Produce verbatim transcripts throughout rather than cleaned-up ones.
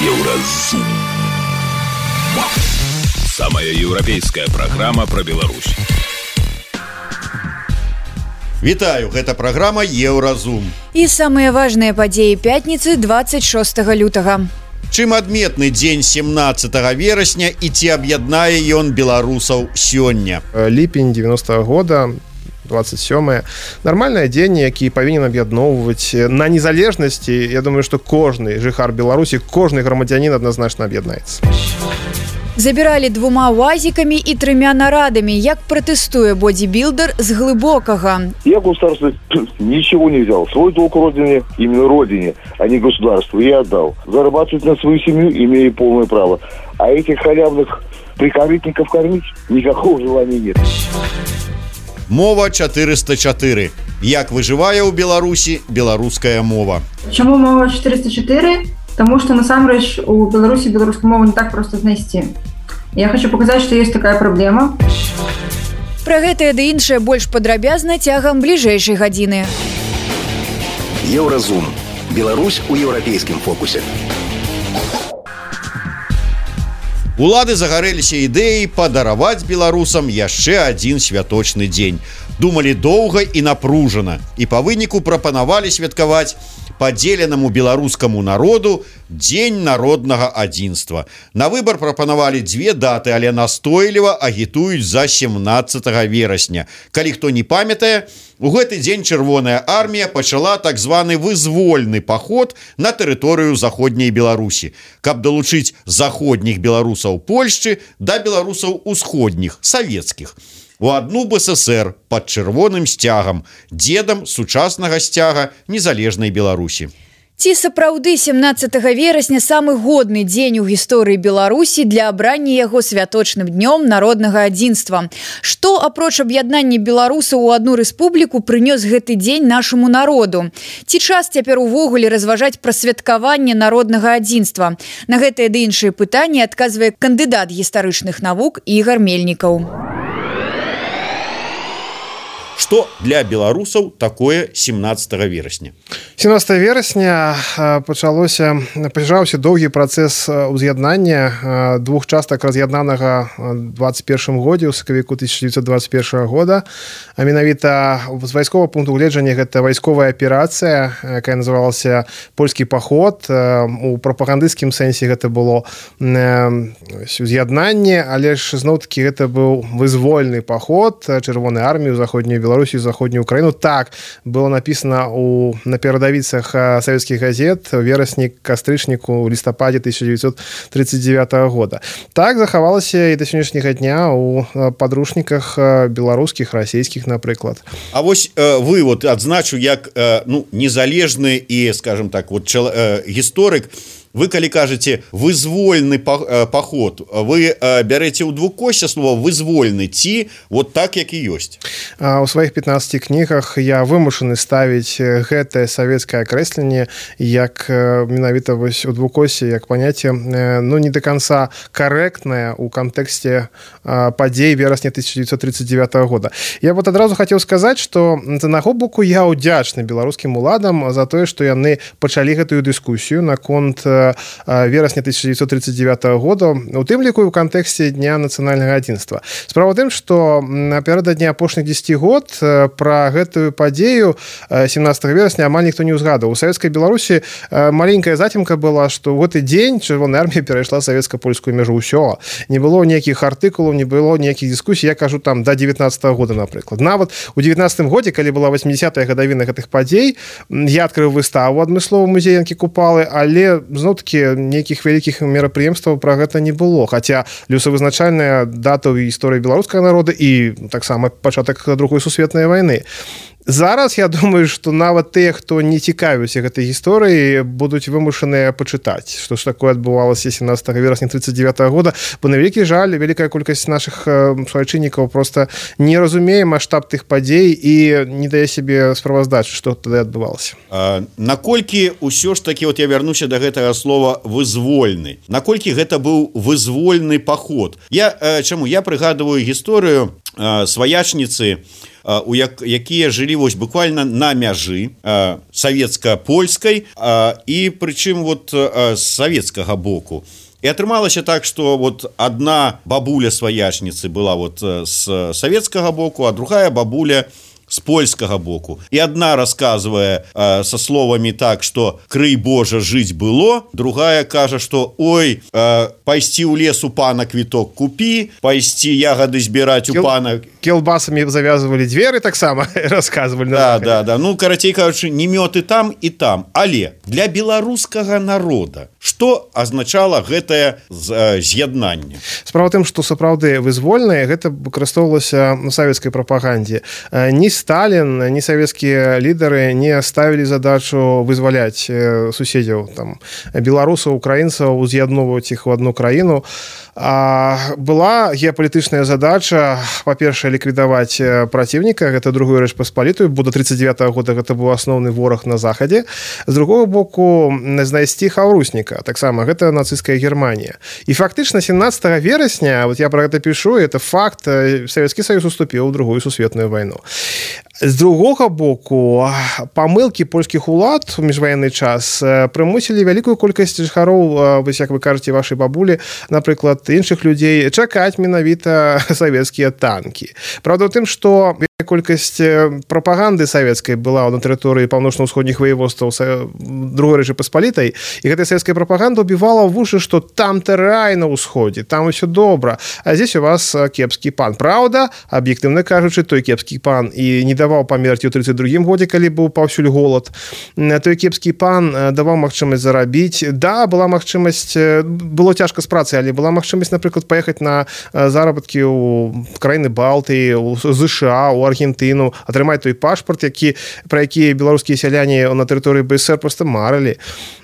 Еўразум. Самая еўрапейская праграма пра Беларусь. Вітаю, гэта праграма Еўразум. І самыя важныя падзеі пятніцы двадцать шостага лютага. Чым адметны дзень семнадцатага верасня і ці аб'яднае ён беларусаў сёння? Ліпень девяностого года, двадцать сёмое. Нармальны дзень, які павінен аб'ядноўваць на незалежнасці. Я думаю, што кожны жыхар Беларусі, кожны грамадзянін адназначна аб'яднаецца. Забіралі двума уазікамі і трымя нарадамі, як пратэстуе бодибилдер з Глыбокага. Я государство ничего не взял. Свой долг родине, именно родине, а не государству, я отдал. Зарабатывать на свою семью имею полное право. А этих халявных прикорытников кормить никакого желания нет. Мова четыреста четыре. Як выжывае ў Беларусі беларуская мова? Чаму мова четыреста четыре? Потому что, насамрэч, у Беларуси беларускую мову не так просто знайсці. Я хочу показать, что есть такая проблема. Пра гэтае ды іншае больш падрабязна цягам бліжэйшай гадзіны. Еўразум. Беларусь у еўрапейскім фокусе. Улады загарэліся ідэяй падараваць беларусам яшчэ адзін святочны дзень. Думалі доўга і напружана, і па выніку прапанавалі святкаваць падзеленаму беларускаму народу дзень народнага адзінства. На выбар прапанавалі дзве даты, але настойліва агітуюць за семнадцатага верасня. Калі хто не памятае, у гэты дзень Чырвоная армія пачала так званы вызвольны паход на тэрыторыю заходняй Беларусі, каб далучыць заходніх беларусаў Польшчы да беларусаў усходніх, савецкіх. У адну БССР пад чырвоным сцягам, дзедам сучаснага сцяга незалежнай Беларусі. Ці сапраўды семнадцатага верасня самы годны дзень у гісторыі Беларусі для абрання яго святочным днём народнага адзінства? Што, апроч аб'яднання беларусаў у адну рэспубліку, прынёс гэты дзень нашаму народу? Ці час цяпер увогуле разважаць пра святкаванне народнага адзінства? На гэтыя ды іншыя пытанні адказвае кандыдат гістарычных навук Ігар Мельнікаў. Што для беларусаў такое семнадцатага верасня? семнадцатого верасня пачалося пачаўся доўгі працэс уз'яднання двух частак раз'яднанага двадцать першым годзе ў сакавіку тысяча девятьсот двадцать первого года. А менавіта з вайсковага пункту гледжання гэта вайсковая аперацыя, якая называлася польскі паход. У прапагандысцкім сэнсе гэта было уз'яднанне, але ж зноў-такі гэта быў вызвольны паход чырвонай арміі ў заходнюю Беларусі, заходнюю Украіну. Так было написано у на перадавіцах савецкіх газет верасні, кастрычніку, лістападзе тысяча девятьсот тридцать девятого года. Так захавалася і да сённяшняга дня у падручніках беларускіх, расійскіх, напрыклад. А вось э, вы вот адзначу як э, ну незалежны і, скажем так, вот чел, э, гісторык. Вы, калі кажаце вызвольны паход, вы бярэце ў двукосце слова вызвольны ці вот так, як і ёсць? У сваіх пятнаццати кнігах я вымушаны ставіць гэтае савецкае акрэсленне як менавіта вось у двукосе, як паняцце, ну не до конца карэктнае ў кантэксце падзей верасня тысяча девятьсот тридцать девятого года. Я вот адразу хацеў сказаць, што з аднаго боку я ўдзячны беларускім уладам за тое, што яны пачалі гэтую дыскусію наконт верасня тысяча девятьсот тридцать девятого года, у тым ліку ў кантэксце дня нацыянальнага адзінства. Справа ў тым, што напярэдадні апошніх дзесяці год пра гэтую падзею семнадцатага верасня амаль ніхто не ўзгадаў. У савецкай Беларусі маленькая зацемка была, што ў гэты дзень чырвоная армія перайшла савецка-польскую мяжу. Усё. Не было ніякіх артыкулаў, не было ніякіх дыскусій. Я кажу там да девятнадцатого года, напрыклад. Нават у девятнадцатым годзе, калі была восьмидесятая гадавіна гэтых падзей, я адкрыў выставу адмыслова музея Янкі Купалы, але зноў такі нейкіх вялікіх мерапрыемстваў пра гэта не было. Хаця лёсавызначальная дата ў гісторыі беларускага народа і таксама пачатак другой сусветнай вайны. Зараз я думаю, што нават тыя, хто не цікавіўся гэтай гісторыі, будуць вымушаныя пачытаць, што ж такое адбывалася семнадцатого верасня тридцать девятого года, бо на вялікі жаль, вялікая колькасць нашых суайчыннікаў проста не разумее маштаб тых падзей і не дае сябе справаздачы, што тады адбывалася. А, наколькі ўсё ж такі, вот я вярнуся да гэтага слова вызвольны, наколькі гэта быў вызвольны паход? Я, чаму? Я прыгадываю гісторыю сваячніцы, у як, якія жылі вось буквально на мяжы савецка-польскай і прычым вот з савецкага боку. І атрымалася так, што вот одна бабуля сваячніцы была вот з савецкага боку, а другая бабуля с польскага боку. И одна рассказывая э, со словами так, что «крый Божа, жить было», другая кажа, что «ой, э, пайсці ў лес у пана квіток купі, пайсці ягоды збіраць у Кел... пана...» Келбасами завязывали двери, так само рассказывали. Да, да, да. Ну, карацей кажучы, не мёд і там, і там. Але для беларускага народа што азначала гэтае з'яднанне? Справа тым, што сапраўды вызвольнае, гэта выкарыстоўвалася на савецкай прапагандзе. Ні Сталін, ні савецкія лідары не ставілі задачу вызваляць суседзяў, там, беларусаў, украінцаў, уз'ядноўваць іх у одну краіну. А была геапалітычная задача, па-першае, ліквідаваць праціўніка, гэта другую рэч паспалітую, бо да тридцать девятого года гэта быў асноўны вораг на захадзе. З другого боку, знайсці хаўрусніка, таксама гэта нацысцкая Германія. І фактычна семнадцатого верасня, вот я про гэта пішу, это факт, Савецкі Саюз уступіў у другую сусветную вайну. З другога боку, памылкі польскіх улад у міжваенны час прымусілі вялікую колькасць жыхароў, вось як вы кажаце, вашай бабулі, напрыклад, іншых людзей, чакаць менавіта савецкія танкі. Правда, ў тым, што колькасць прапаганды савецкай была на тэрыторыі паўночна-ўсходніх ваеводстваў другой рэчы паспалітай, і гэтая савецкая прапаганда ўбівала ў вушы, што там-то рай на ўсходзе, там усё добра, а здесь у вас кепскі пан. Праўда, аб'ектыўна кажучы, той кепскі пан і не даваў памерці ў тридцать другім годзе, калі быў паўсюль голад. Той кепскі пан даваў магчымасць зарабіць. Да, была магчымасць, было цяжка з працай, але была магчымасць, напрыклад, паехаць на заработкі ў краіны Балтыі, у ЗША, у Аргентыну, атрымаць той пашпарт, які, пра які беларускія сяляне на тэрыторыі БСР просто марылі.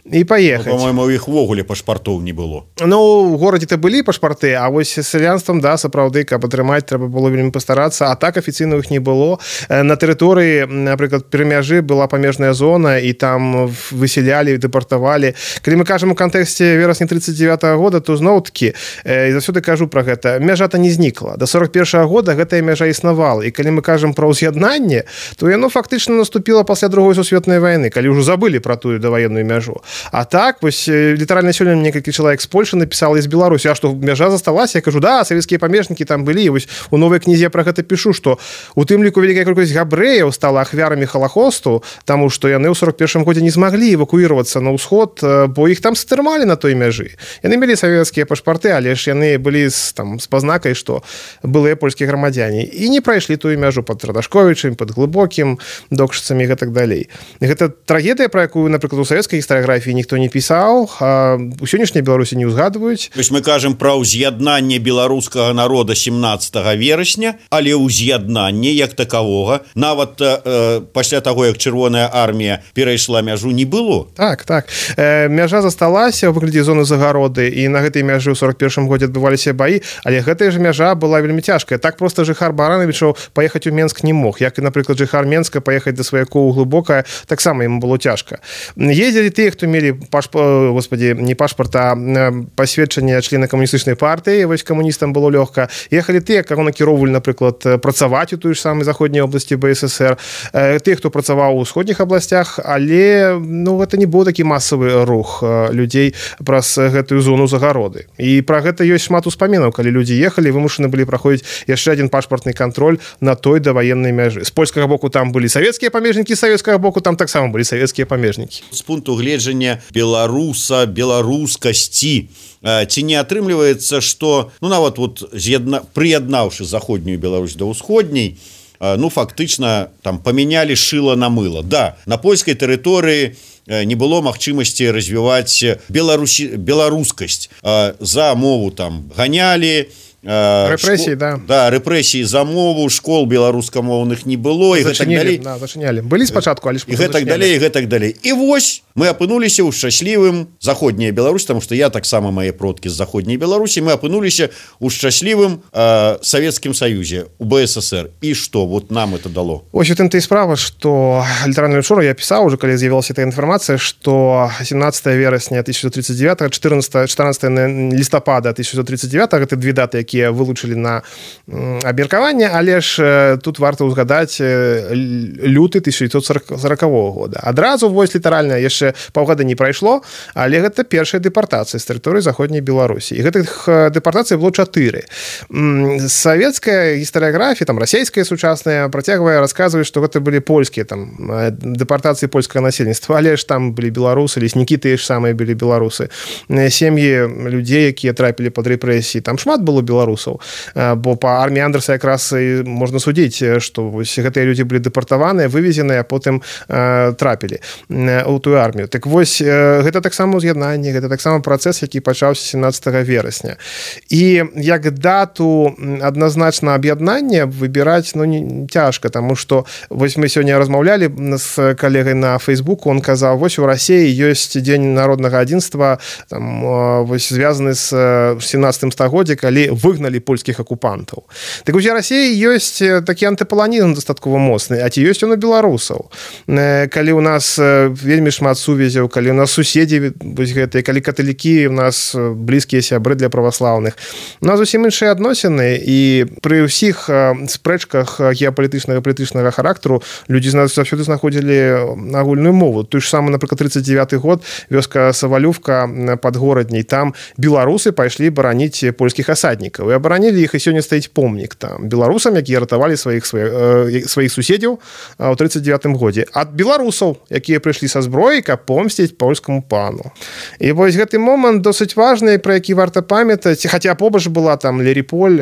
І паехаць. Ну, по-моему, у іх ввогуле пашпартоў не было. Ну, у горадзе-то былі пашпарты, а вось з сялянствам, да, сапраўды, каб атрымаць, трэба было вельмі пастарацца, а так афіцыйна іх не было. На тэрыторыі, напрыклад, пры мяжы была памежная зона, і там высялялі, дэпартавалі. Калі мы кажам у кантэксце верасня тридцать девятого года, то зноў-такі, і заўсёды кажу пра гэта, мяжа-то не знікла. До сорок первого года гэтая мяжа існавала. І калі мы кажам пра ўз'яднанне, то яно фактычна наступіла пасля другой сусветнай вайны, калі ўжо забылі пра тую даваенную мяжу. А так, вось, літаральна сёння некалькі чалавек з Польшы напісала, з Беларусі, а што мяжа засталася, я кажу, да, савецкія памежнікі там былі, і вось у новай кнізе я пра гэта пішу, што у тым ліку вялікая колькасць габрэяў стала ахвярамі Халахосту, таму што яны ў сорок первым годзе не змаглі эвакуіравацца на ўсход, бо іх там стрымалі на той мяжы. Яны мелі савецкія пашпарты, але ж яны былі з, там, з пазнакай, што былыя польскія грамадзяне, і не прайшлі тую мяжу пад Радашковічам, пад Глыбокім, Докшыцамі і гэтак далей. І гэта трагедыя, пра якую, напрыклад, у савецкай гістарыяграфіі ніхто не пісаў, а у сённяшняй Беларусі не ўзгадваюць. То есть мы кажам пра ўз'яднанне беларускага народа семнадцатого верасня, але ўз'яднанне як такавога, нават э, пасля таго, як Чырвоная армія перайшла мяжу, не было. Так, так. Э, мяжа засталася ў выглядзе зоны загароды, і на гэтай мяжы ў сорок первым годзе адбываліся баі, але гэтая ж мяжа была вельмі цяжкая. Так проста жыхар Баранавічаў паехаць у Менск не мог. Як і, напрыклад, жыхар Менска паехаць да сваякоў у Глыбокае, таксама яму было цяжка. Ездзілі тыя, хто мелі пашпарт, господи, не пашпарт, а пасведчанне члена камуністычнай партыі, вось камуністам было лёгка. Ехалі тыя, каго накіроўвалі, напрыклад, працаваць у той ж самай заходняй обласці БССР, тыя, хто працаваў у ўсходніх абласцях, але ну, гэта не быў такі масавы рух людзей праз гэтую зону загароды. І пра гэта ёсць шмат успамінаў, калі людзі ехалі, вымушаны былі праходзіць яшчэ адзін пашпартны кантроль на той даваеннай мяжы. З польскага боку там былі савецкія памежнікі, з савецкага боку там таксама былі савецкія памежнікі. З пункту гледжання беларуса, беларускасці, ці не атрымліваецца, што ну нават вот з'ядна... прыяднаўшы заходнюю Беларусь да ўсходняй, ну фактычна там памянялі шыла на мыла. Да, на польскай тэрыторыі не было магчымасці развіваць беларусі... беларускасць. За мову там ганялі, рэпрэсіі, да. Да, рэпрэсіі за мову, школ беларускамоўных не было, і гэтак далей. Да, зачынялі. Былі спачатку, але ж і гэтак далей, і гэтак далей. І вось мы апынуліся ў шчаслівым заходняя Беларусь, таму што я таксама мае продкі з заходняй Беларусі, мы апынуліся ў шчаслівым э, Савецкім Саюзе, у БССР. І што вот нам это дало? Ось у тым-то і справа, што літаральна учора я пісаў уже, калі з'явілася эта інфармацыя, што семнадцатого верасня тысяча девятьсот тридцать девятого, четырнадцатого лістапада тысяча девятьсот тридцать девятого, гэта две даты, якія якія вылучылі на абмеркаванне, але ж тут варта ўзгадаць люты тысяча дзевяцьсот сорокавога года. Адразу вось літаральна яшчэ паўгода не прайшло, але гэта першая дэпартацыя з тэрыторыі заходняй Беларусі. І гэтых дэпартацый было чатыры. Савецкая гістарыяграфія, там расійская сучасная працягвае расказваць, што гэта былі польскія там дэпартацыі польскага насельніцтва, але ж там былі беларусы, леснікі тыя ж самыя былі беларусы. Сем'і людзей, якія трапілі пад рэпрэсіі, там шмат было беларусаў, бо па арміі Андерса якраз і можна судзіць, што вось гэтыя людзі былі дэпартаваныя, вывезеныя, а потым э, трапілі у тую армію. Так вось, э, гэта таксама ўз'яднанне, гэта таксама працэс, які пачаўся сямнаццатага верасня. І як дату адназначна аб'яднання выбіраць, ну, не цяжка, таму што вось мы сёння размаўлялі з калегай на Фейсбуку, он казаў, вось у Расіі ёсць дзень народнага адзінства, там, вось звязаны з семнаццатым стагоддзя, калі выгналі польскіх акупантаў. Так вось у Расіі ёсць такі антыпаланізм дастаткова моцны, а ці ёсць он у беларусаў. Калі у нас вельмі шмат сувязяў, калі у нас суседзі вось гэтыя, калі каталікі у нас блізкія сябры для праваслаўных, у нас зусім іншыя адносіны, і пры ўсіх спрэчках геапалітычнага палітычнага характару людзі з нас заўсёды знаходзілі агульную мову. Той ж самы, напрыклад, тридцать девятый год, вёска Савалювка пад горадняй, там беларусы пайшлі бараніць польскіх асаднікаў, і абаранілі іх, і сёння стаіць помнік там беларусам, якія ратавалі сваіх сваіх суседзяў у тридцать девятым годзе ад беларусаў, якія прыйшлі са зброяй, каб помсціць польскаму пану. І вось гэты момант досыць важны, пра які варта памятаць, хаця побач была там Леріполь,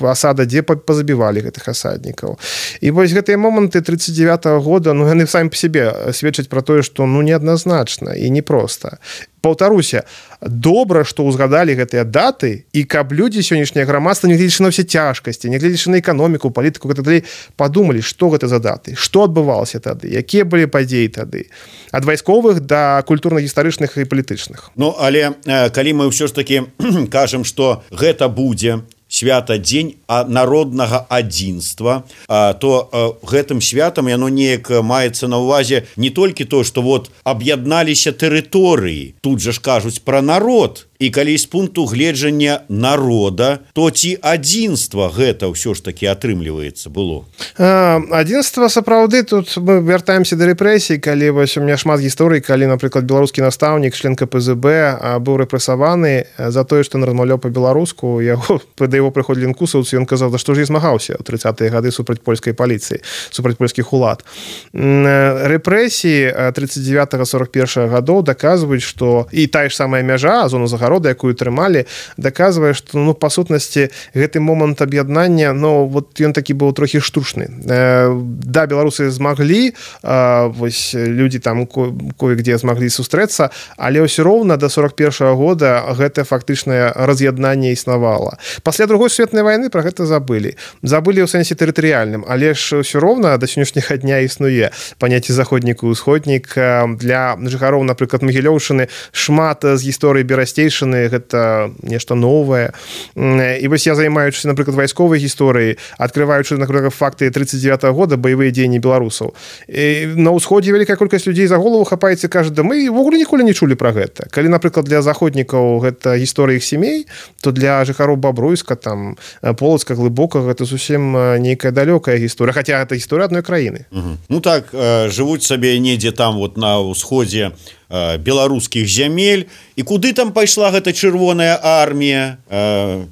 асада, дзе пазабівалі гэтых асаднікаў. І вось гэтыя моманты тридцать девятого года, ну яны самі па сябе сведчаць пра тое, што ну неадназначна і непроста. Паўтаруся, добра, што ўзгадалі гэтыя даты, і каб людзі сённяшняе грамадства, нягледзячы на ўсе цяжкасці, нягледзячы на эканоміку, палітыку, гэта далей, падумалі, што гэта за даты, што адбывалася тады, якія былі падзеі тады, ад вайсковых да культурна-гістарычных і палітычных. Ну, але калі мы ўсё ж такі кажам, што гэта будзе свята дзень народнага адзінства, то гэтым святам яно неяк маецца на ўвазе не толькі то, што вот аб'ядналіся тэрыторыі, тут жа ж кажуць пра народ, і калі з пункту гледжання народа, то ці адзінства гэта ўсё ж такі атрымліваецца было? Адзінства сапраўды, тут мы вяртаемся да рэпрэсій, калі вось у меня шмат гісторый, калі, напрыклад, беларускі настаўнік, член ка пэ зэ бэ быў рэпрэсаваны за тое, што размаўляў па-беларуску, яго да яго прыходзілі інкусаўцы, ён казаў, да што ж я змагаўся ў тридцатыя гады супраць польскай паліцыі, супраць польскіх улад. Рэпрэсіі тридцать девятого сорок первого гадоў даказваюць, што і тая ж самая мяжа, зону загарода, якую трымалі, даказвае, што ну па сутнасці гэты момант аб'яднання, ну вот ён такі быў трохі штучны. Да, беларусы змаглі, вось людзі там кое-где змаглі сустрэцца, але ўсё роўна да сорок первого года гэта фактычнае раз'яднанне існавала. Пасля другой сусветнай вайны пра гэта забылі. Забылі ў сэнсе тэрытарыяльным, але ж ўсё роўна да сённяшняга дня існуе паняцце заходнік і усходнік. Для жыхароў, напрыклад, Магілёўшчыны шмат з гісторыі берасцейшчыны, гэта нешта новае. І вось я, займаючыся, напрыклад, вайсковай гісторыяй, адкрываючы, напрыклад, факты тридцать девятого года, баявыя дзеянні беларусаў, і на ўсходзе вялікая колькасць людзей за голову хапаецца і кажа, да мы ввогуле ніколі не чулі пра гэта. Калі, напрыклад, для заходнікаў гэта гісторыя іх сямей, то для жыхароў Бабруйска, там, Полацка, Глыбокага, гэта зусім нейкая далёкая гісторыя, хаця гэта гісторыя адной краіны. Угу. Ну так, жывуць сабе недзе там вот на ўсходзе беларускіх зямель, і куды там пайшла гэта чырвоная армія,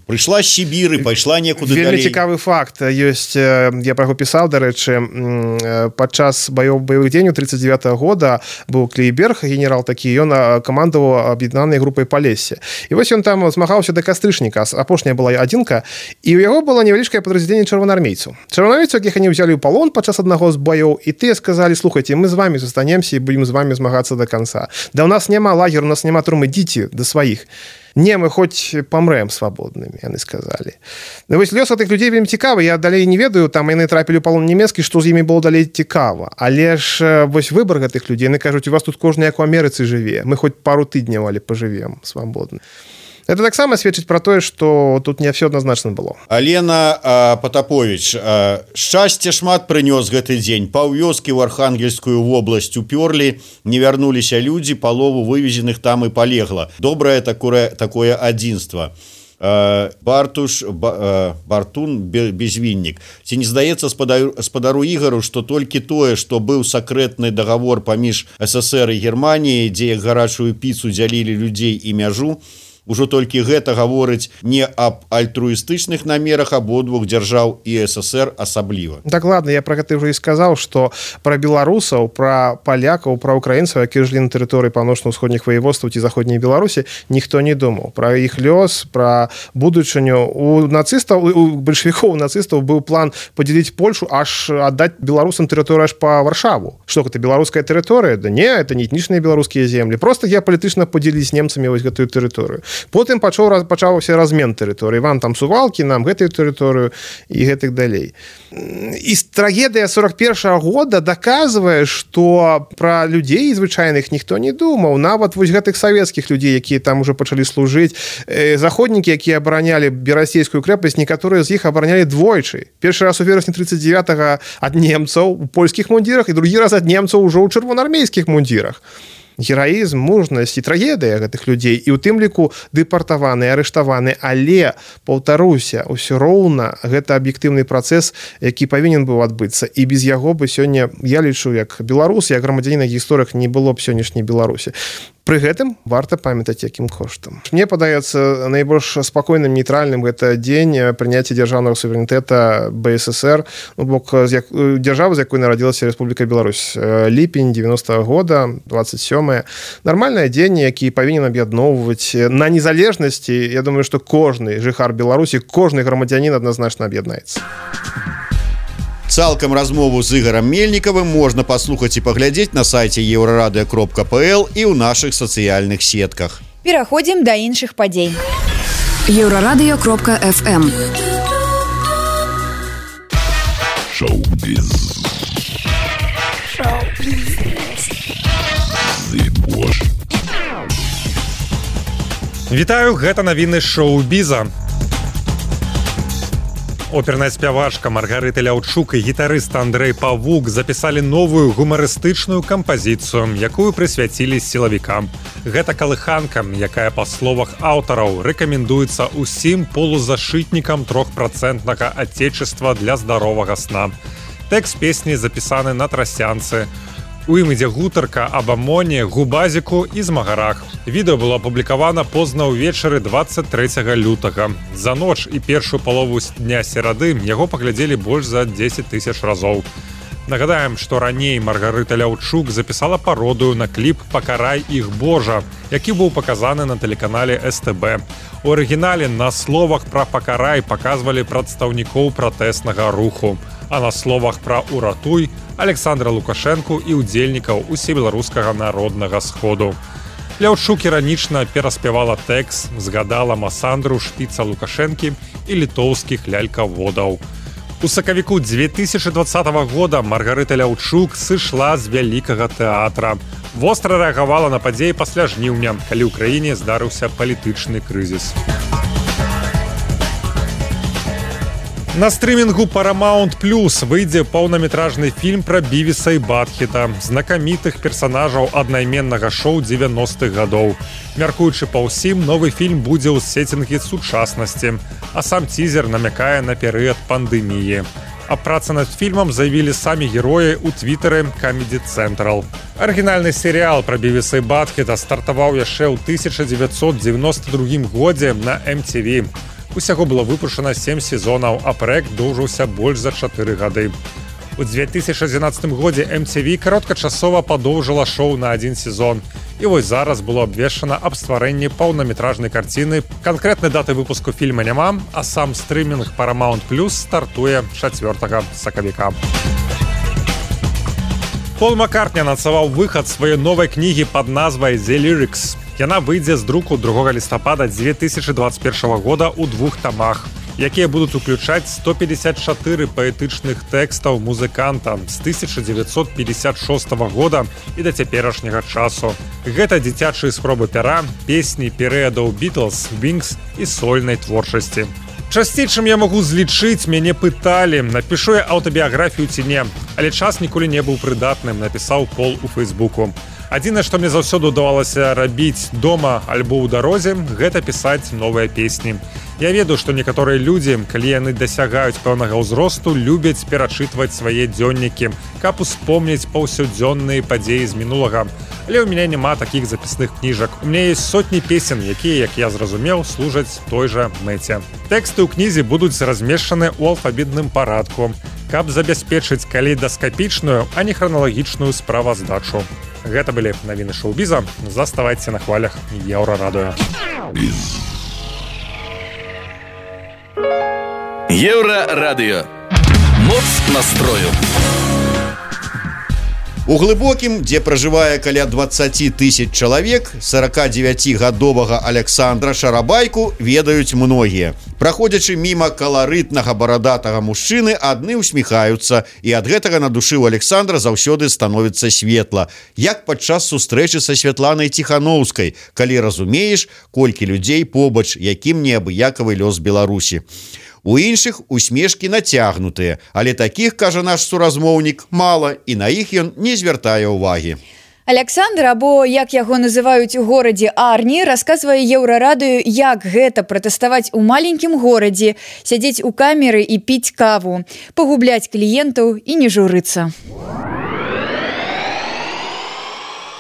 прыйшла з Сібіры, пайшла некуды далей. Вельмі цікавы факт ёсць, я пра яго пісаў, дарэчы, падчас баёў баявых дзеянняў тридцать девятого года быў Клейберг, генерал такі, ён камандаваў аб'яднанай групай Палессе. І вось ён там змагаўся да кастрычніка, апошняя была адзінка, і ў яго было невялічкае падраздзяленне чырвонаармейцаў. Чырвонаармейцаў, якіх яны ўзялі ў палон падчас аднаго з баёў, і тыя сказалі, слухайце, мы з вамі застанемся і будзем з вамі змагацца да канца. Да у нас няма лагеру, у нас няма турмы, ідзіце да сваіх. Не, мы хоць памрэм свабоднымі, яны сказалі. Ну, вось лёс гэтых людзей вельмі цікавы, я далей не ведаю, там яны трапілі ў палон нямецкі, што з імі было далей цікава. Але ж вось выбар гэтых людзей, яны кажуць, у вас тут кожны як у Амерыцы жыве, мы хоць пару тыдняў, але пажывем свабодна. Это таксама сведчыць пра тое, што тут не ўсё адназначна было. Алена Патапович, шчасце шмат прынёс гэты дзень. Паўвёскі ў Архангельскую вобласць упёрлі, не вярнуліся людзі, палову вывезеных там і палегла. Добрае такое, такое адзінства. Бартуш Бартун безвіннік. Ці не здаецца спадару Ігару, што толькі тое, што быў сакрэтны дагавор паміж СССР і Германіяй, дзе як гарачую піцу дзялілі людзей і мяжу, ужо толькі гэта гаворыць не аб альтруістычных намерах абодвух дзяржаў і СССР асабліва. Так, ладно, я про гэта ўжо і сказаў, што пра беларусаў, пра палякаў, пра украінцаў, якія жылі на тэрыторыі паўночна-ўсходніх ваеводстваў ці заходняй Беларусі, ніхто не думаў. Пра іх лёс, пра будучыню. У нацыстаў, у бальшавікоў, у нацыстаў быў план падзяліць Польшу, аж аддаць беларусам тэрыторыю аж па Варшаву. Што гэта, беларуская тэрыторыя? Да не, это не этнічныя беларускія землі. Проста геапалітычна падзяліць з немцамі вось гэтую тэрыторыю. Потым пачаў пачаўся размен тэрыторыі. Вам там сувалкі, нам гэтую тэрыторыю і гэтых далей. І трагедыя сорок першага года даказвае, што пра людзей звычайных ніхто не думаў. Нават вось гэтых савецкіх людзей, якія там ужо пачалі служыць, заходнікі, якія абаранялі берасцейскую крэпасць, некаторыя з іх абаранялі двойчы. Першы раз у верасні тридцать девятага ад немцаў у польскіх мундзірах і другі раз ад немцаў ужо ў чырвонаармейскіх мундзірах. Гераізм, мужнасць і трагедыя гэтых людзей, і ў тым ліку дэпартаваны, арыштаваны, але, паўтаруся, усё роўна гэта аб'ектыўны працэс, які павінен быў адбыцца, і без яго бы сёння, я лічу, як беларус, як грамадзянін на гісторыях не было б сённяшняй Беларусі. Пры гэтым варта памятаць, якім коштам. Мне падаецца найбольш спакойным, нейтральным гэта дзень прыняцця дзяржаўнага суверэнітэта БССР, ну, бок дзяржавы, з якой нарадзілася Рэспубліка Беларусь. Ліпень девяностого года, двадцать сёмое. Нармальны дзень, які павінен аб'ядноўваць на незалежнасці. Я думаю, што кожны жыхар Беларусі, кожны грамадзянін адназначна аб'яднаецца. Цалкам размову з Ігарам Мельнікавым можна паслухаць і паглядзець на сайце еўрарадыё кропка пл і ў нашых сацыяльных сетках. Пераходзім да іншых падзей. еўрарадыё кропка эф эм. Шоу-біз. Вітаю, гэта навіны шоу-біза. Оперная спявачка Маргарыта Ляўчук і гітарыст Андрэй Павук запісалі новую гумарыстычную кампазіцыю, якую прысвяцілі сілавікам. Гэта калыханка, якая, па словах аўтараў, рэкамендуецца ўсім полузашытнікам трохпрацэнтнага адзечыства для здаровага сна. Тэкст песні запісаны на трасянцы. У ім ідзе гутарка аб амоне, губазіку і змагарах. Відэо было апублікавана позна ўвечары двадцать трэцяга лютага. За ноч і першую палову дня серады яго паглядзелі больш за дзесяць тысяч разоў. Нагадаем, што раней Маргарыта Ляўчук запісала пародыю на кліп «Пакарай іх Божа», які быў паказаны на тэлеканале эс тэ бэ. У арыгінале на словах пра «Пакарай» паказвалі прадстаўнікоў пратэснага руху, а на словах пра «Уратуй» Александра Лукашэнку і ўдзельнікаў усебеларускага народнага сходу. Ляўчук іранічна пераспявала тэкст, згадала Масандру, шпіца Лукашэнкі і літоўскіх лялькаводаў. У сакавіку две тысячи двадцатого года Маргарыта Ляўчук сышла з вялікага тэатра. Востра рэагавала на падзеі пасля жніўня, калі ў краіне здарыўся палітычны крызіс. На стрымінгу Paramount Plus выйдзе паўнаметражны фільм пра Бівіса і Батхета, знакамітых персанажаў аднайменнага шоу дзевяностых гадоў. Мяркуючы па ўсім, новы фільм будзе ў сецінгі сучаснасці, а сам цізер намякае на перыяд пандэміі. Аб працы над фільмам заявілі самі героі ў твітары Comedy Central. Арыгінальны серыял пра Бівіса і Батхета стартаваў яшчэ ў тысяча дзевяцьсот дзевяносто другім годзе на эм ти ви. Усяго было выпушчана сем сезонаў, а праект доўжыўся больш за чатыры гады. У две тысячи двенадцатым годзе эм ти ви кароткачасова падоўжыла шоу на адзін сезон. І вось зараз было абвешчана аб стварэнні паўнаметражнай карціны. Канкрэтнай даты выпуску фільма няма, а сам стрымінг Paramount Plus стартуе чацвёртага сакавіка. Пол Маккартні анансаваў выхад сваёй новай кнігі пад назвай «The Lyrics». Яна выйдзе з друку другога лістапада две тысячи двадцать первого года ў двух тамах, якія будуць уключаць сто пятьдесят чатыры паэтычных тэкстаў музыканта з тысяча дзевяцьсот пятьдесят шостого года і да цяперашняга часу. Гэта дзіцячыя спробы пяра, песні перыядаў Beatles, Wings і сольнай творчасці. Часцей, чым я магу злічыць, мяне пыталі, напішу я аўтабіяграфію ці не, але час ніколі не быў прыдатным, напісаў Пол у Фейсбуку. Адзінае, што мне заўсёды ўдавалася рабіць дома альбо ў дарозе, гэта пісаць новыя песні. Я ведаю, што некаторыя людзі, калі яны дасягаюць пэўнага ўзросту, любяць перачытваць свае дзённікі, каб успомніць паўсядзённыя падзеі з мінулага. Але ў мяне няма такіх запісных кніжак. У мяне ёсць сотні песен, якія, як я зразумеў, служаць той жа мэце. Тэксты ў кнізе будуць размешчаны ў алфавітным парадку, каб забяспечыць калейдаскапічную, а не храналагічную справаздачу. Гэта былі навіны шоу-біза. Заставайце на хвалях Еўрарадыё. Еўрарадыё. Моц настрою. У глыбокім, дзе пражывае каля дваццаць тысяч чалавек, сорокадзевяцігадовага Александра Шарабайку ведаюць многія. Праходзячы міма каларытнага барадатага мужчыны, адны ўсміхаюцца, і ад гэтага на душы ў Александра заўсёды становіцца светла, як падчас сустрэчы са Святланай Ціханоўскай, калі разумееш, колькі людзей побач, якім неабыякавы лёс Беларусі. У іншых усмешкі нацягнутыя, але такіх, кажа наш суразмоўнік, мала, і на іх ён не звяртае ўвагі. Александр, або як яго называюць у горадзе Арні, расказвае Еўрарадыё, як гэта пратэставаць у маленькім горадзе, сядзець у камеры і піць каву, пагубляць кліентаў і не журыцца.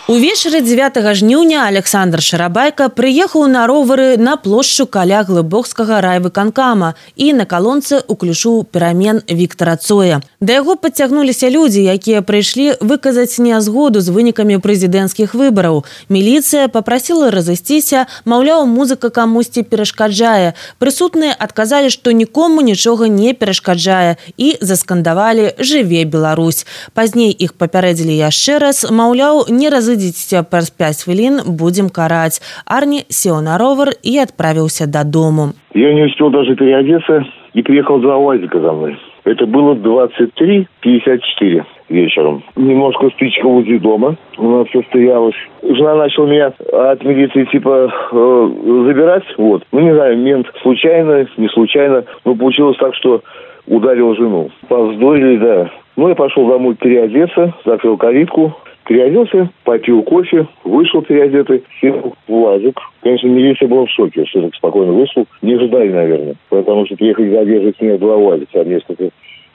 Увечары дзевятага жніўня Александр Шарабайка прыехаў на ровары на плошчу каля глыбокскага райвыканкама і на калонцы уключыў перамен Віктара Цоя. Да яго падцягнуліся людзі, якія прыйшлі выказаць нязгоду з вынікамі прэзідэнцкіх выбараў. Міліцыя папрасіла разысціся, маўляў, музыка камусьці перашкаджае. Прысутныя адказалі, што нікому нічога не перашкаджае і заскандавалі «Жыве Беларусь». Пазней іх папярэдзілі яшчэ раз, маўляў, не разыдзіце праз пять хвілін, будем караць. Арни сел на ровер и отправился до дому. Я не успел даже переодеться и приехал два УАЗика за мной. Это было двадцать три пятьдесят четыре вечером. Немножко спичка возле дома. У нас все стоялось. Жена начала меня от милиции типа э, забирать. Вот. Ну, не знаю, мент случайно, не случайно. Но получилось так, что ударил жену. Повздорили, да. Ну, я пошел домой переодеться, закрыл калитку. Переоделся, попил кофе, вышел переодетый, сел в УАЗик. Конечно, милиция была в шоке, что так спокойно вышел. Не ожидали, наверное, потому что приехали задержать меня два УАЗика, несколько,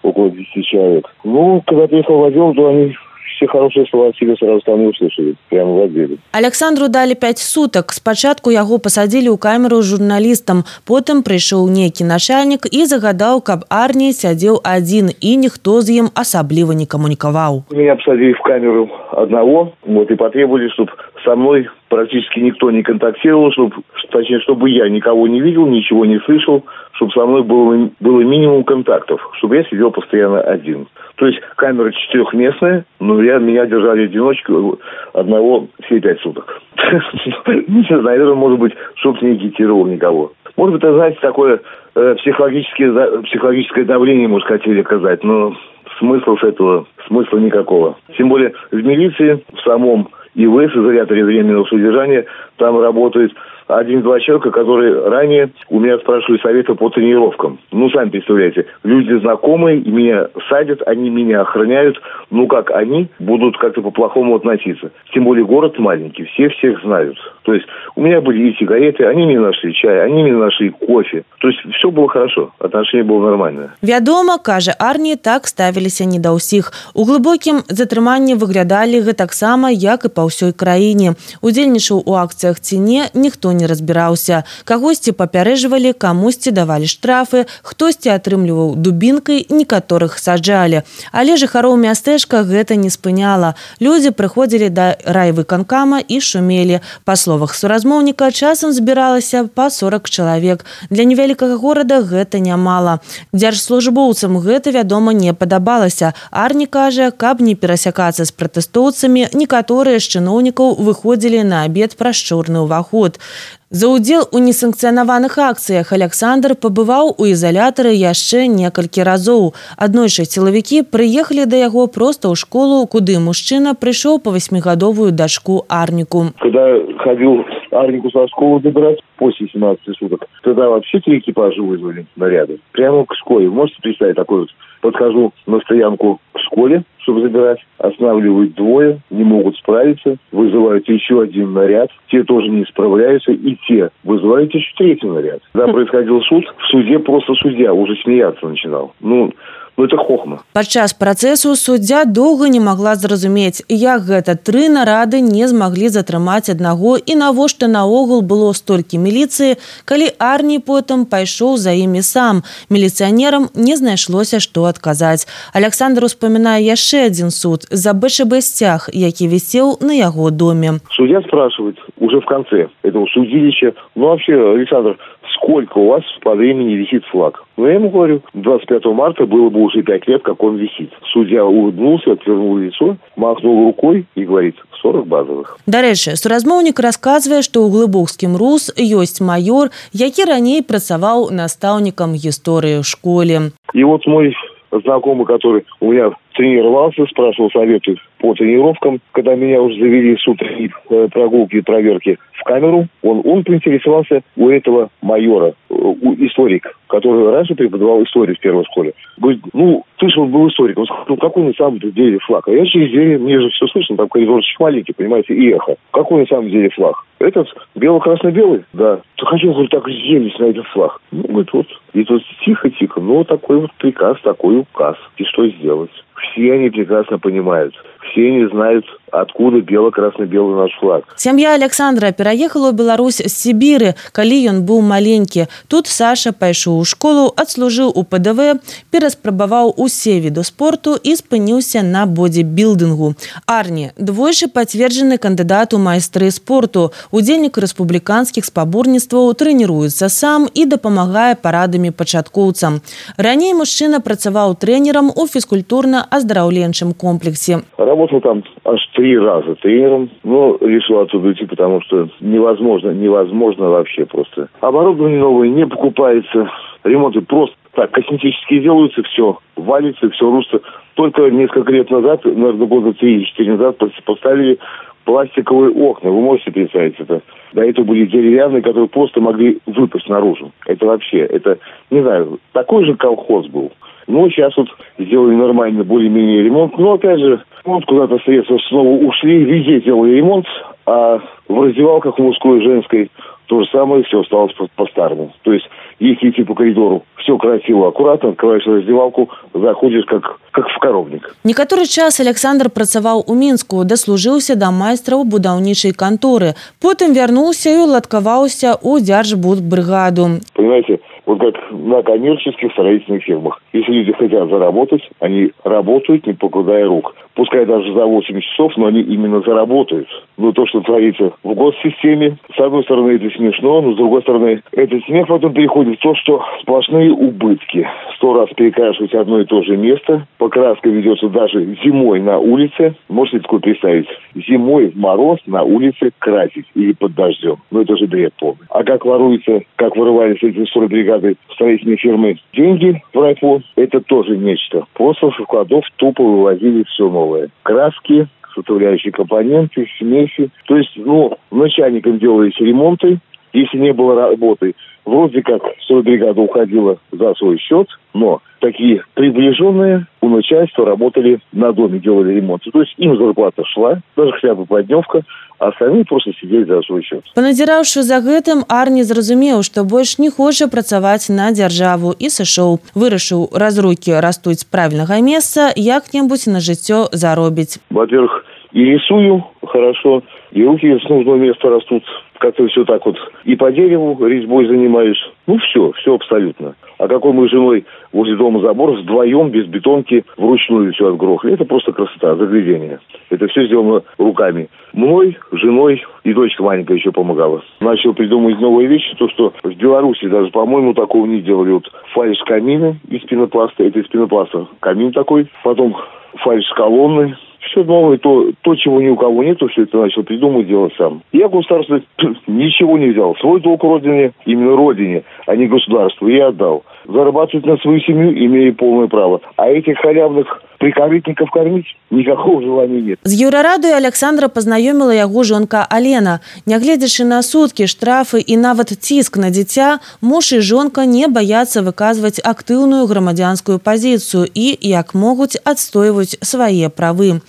около десяти человек. Ну, когда приехал в отдел, то они все хорошие слова себе сразу там не услышали, прямо в отделе. Александру дали пять суток. Спачатку яго посадили у камеру журналістам, потым прыйшоў нейкі начальнік і загадаў, каб Арні сядзеў адзін і ніхто з ім асабліва не камунікаваў. Меня посадили в камеру одного, вот, и потребовали, чтобы со мной практически никто не контактировал, чтобы, точнее, чтобы я никого не видел, ничего не слышал, чтобы со мной было, было минимум контактов, чтобы я сидел постоянно один. То есть камера четырехместная, но я, меня держали одиночку одного все пять суток. Не знаю, наверное, может быть, чтобы не агитировал никого. Может быть, это, знаете, такое психологическое, психологическое давление, может, хотели оказать, но смысла с этого, смысла никакого. Тем более в милиции, в самом ИВС, изоляторе временного содержания, там работает один-два человека, которые ранее у меня спрашивали совета по тренировкам. Ну, сами представляете, люди знакомые, меня садят, они меня охраняют. Ну, как они будут как-то по-плохому относиться? Тем более город маленький, все всех знают. То есть у меня были и сигареты, они мне нашли чай, они мне нашли кофе. То есть все было хорошо, отношение было нормальное. Вядома, кажа Арні, так ставіліся не да ўсіх. У глыбокім затрыманні выглядалі гэтаксама, як і па ўсёй краіне. Удзельнічаў у акцыях ці не, ніхто не разбіраўся. Кагосьці папярэжвалі, камусьці давалі штрафы, хтосьці атрымліваў дубінкай, некаторых саджалі. Але жыхароў мястэчка гэта не спыняла. Людзі прыходзілі да райвыканкама і шумелі. Па словах суразмоўніка, часам збіралася па сорок чалавек. Для невялікага горада гэта нямала. Дзяржслужбоўцам гэта, вядома, не падабалася. Арні кажа, каб не перасякацца з пратэстоўцамі, некаторыя з чыноўнікаў выходзілі на абед праз чорны ўваход. За ўдзел у несанкцыянаваных акцыях Александр пабываў у изолятары яшчэ некалькі разоў. Аднойчы сілавікі прыехалі да яго проста ў школу, куды мужчына прыйшоў па васьмігадовую дачку Арніку. Когда ходил Арнику со школы добирать после семнадцати суток. Тогда вообще три экипажа вызвали наряды. Прямо к школе. Вы можете представить такой вот? Подхожу на стоянку к школе, чтобы забирать. Останавливают двое, не могут справиться. Вызывают еще один наряд. Те тоже не справляются. И те вызывают еще третий наряд. Когда происходил суд, в суде просто судья уже смеяться начинал. Ну, ну это хохма. Падчас працэсу суддзя доўга не магла зразумець, як гэта тры нарады не змаглі затрымаць аднаго і навошта наогул было столькі міліцыі, калі Арні потым пайшоў за імі сам. Міліцыянерам не знайшлося, што адказаць. Александр успамінае яшчэ адзін суд за БШБ сцяг, які вісеў на яго доме. Судья спрашивает уже в конце этого судилища: ну вообще, Александр, сколько у вас по времени висит флаг? Ну, я ему говорю, двадцать пятого марта было бы уже пять лет, как он висит. Судья улыбнулся, отвернул лицо, махнул рукой и говорит: сорок базовых. Дарэчы, суразмоўнік расказвае, што ў глыбокскім рус ёсць майор, які раней працаваў настаўнікам гісторыі ў школе. И вот мой знакомый, который у меня тренировался, спрашивал советы по тренировкам, когда меня уже завели с утренней прогулки и проверки в камеру, он, он поинтересовался у этого майора, у историк, который раньше преподавал историю в первой школе. Говорит: ну, ты же он был историк. Он сказал: ну, какой на самом деле флаг? А я через дверь, мне же все слышно, там коридорчик маленький, понимаете, и эхо. Какой на самом деле флаг? Этот бело-красно-белый? Да. То хочу, говорю, так взялись на этот флаг. Ну, говорит, вот. И тут тихо-тихо, ну, такой вот приказ, такой указ. И что сделать? Все они прекрасно понимают. Все они знают, откуда бело-красно-белый наш флаг. Сям'я Александра пераехала ў Беларусь з Сібіры, калі ён быў маленькі. Тут Саша пайшоў у школу, адслужыў у ПДВ, пераспрабаваў усе віды спорту і спыніўся на бодибілдынгу. Арні – двойчы пацверджаны кандыдат у майстры спорту, удзельнік рэспубліканскіх спаборніцтваў, трэніруецца сам і дапамагае парадамі пачаткоўцам. Раней мужчына працаваў трэнерам у фізкультурна-аздараўленчым комплексе. Работал там аж три раза тренером, но решил оттуда уйти, потому что невозможно, невозможно вообще просто. Оборудование новое не покупается, ремонты просто так косметические делаются, все валится, все рушится. Только несколько лет назад, наверное, года три-четыре назад поставили пластиковые окна. Вы можете представить это? До этого были деревянные, которые просто могли выпасть наружу. Это вообще, это, не знаю, такой же колхоз был. Ну, сейчас вот сделали нормально, более-менее ремонт. Но, опять же, вот куда-то средства снова ушли, везде делали ремонт, а в раздевалках мужской и женской то же самое, все осталось по-старому. То есть, если идти по коридору, все красиво, аккуратно, открываешь раздевалку, заходишь как, как в коровник. Некаторы час Александр працаваў у Мінску, даслужыўся да майстра ў будаўнічай канторы. Потым вярнуўся і уладкаваўся ў дзяржбудбрыгаду. Понимаете, вот как на коммерческих строительных фирмах. Если люди хотят заработать, они работают, не покладая рук. Пускай даже за восемь часов, но они именно заработают. Но то, что творится в госсистеме, с одной стороны, это смешно, но с другой стороны, этот смех потом переходит в то, что сплошные убытки. Сто раз перекрашивать одно и то же место. Покраска ведется даже зимой на улице. Можете такое представить? Зимой в мороз на улице красить или под дождем. Ну, это же бред полный. А как воруется, как вырывались эти стройбригады строительной фирмы деньги в райфон, это тоже нечто. Просто со складов тупо вывозили все новое. Краски, составляющие компоненты, смеси. То есть, ну, начальникам делались ремонты. Если не было работы, вроде как стройбригада уходила за свой счет, но такие приближенные у начальства работали на доме, делали ремонт. То есть им зарплата шла, даже хотя бы поддневка, а остальные просто сидели за свой счет. Паназіраўшы за гэтым, Арні зразумеў, што больш не хоча працаваць на дзяржаву і сышоў. Вырашыў, раз рукі растуць з правільнага месца, як-небудзь на жыццё заробіць. Во-первых, и рисую хорошо, и руки с нужного места растут. Как-то все так вот. И по дереву резьбой занимаюсь. Ну, все, все абсолютно. А какой мы с женой возле дома забор вдвоем, без бетонки, вручную все отгрохали. Это просто красота, заглядение. Это все сделано руками. Мной, женой и дочка маленькая еще помогала. Начал придумывать новые вещи. То, что в Беларуси даже, по-моему, такого не делали. Вот фальш камина из пенопласта. Это из пенопласта камин такой. Потом фальш колонны. Все новое, то, то, чего ни у кого нету, все это начал придумывать, делать сам. Я государство ничего не взял. Свой долг родине, именно родине, а не государству, я отдал. зарабатывать на свою семью, имея полное право. А этих халявных прикорытников кормить никакого желания нет. З Еўрарадыё Александра пазнаёміла яго жонка Алена. Нягледзячы на суткі, штрафы і нават ціск на дзіця, муж і жонка не баяцца выказваць актыўную грамадзянскую пазіцыю і, як могуць, адстойваць свае правы.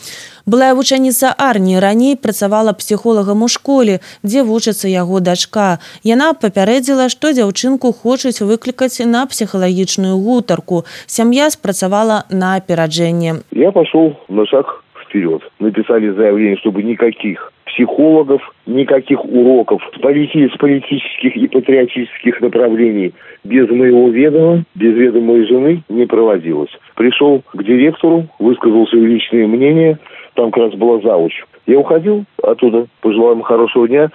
Былая вучаніца арміі раней працавала псіхолагам у школе, дзе вучыцца яго дачка. Яна папярэдзіла, што дзяўчынку хочуць выклікаць на псіхалагічную гутарку. Сям'я спрацавала на апераджэнне. Я пошел на шаг вперед. Написали заявление, чтобы никаких психологов, никаких уроков с политических и патриотических направлений без моего ведома, без ведома моей жены не проводилось. Пришел к директору, высказал свои личные мнения. Там как раз была завуч. Я уходил оттуда, пожелал им хорошего дня.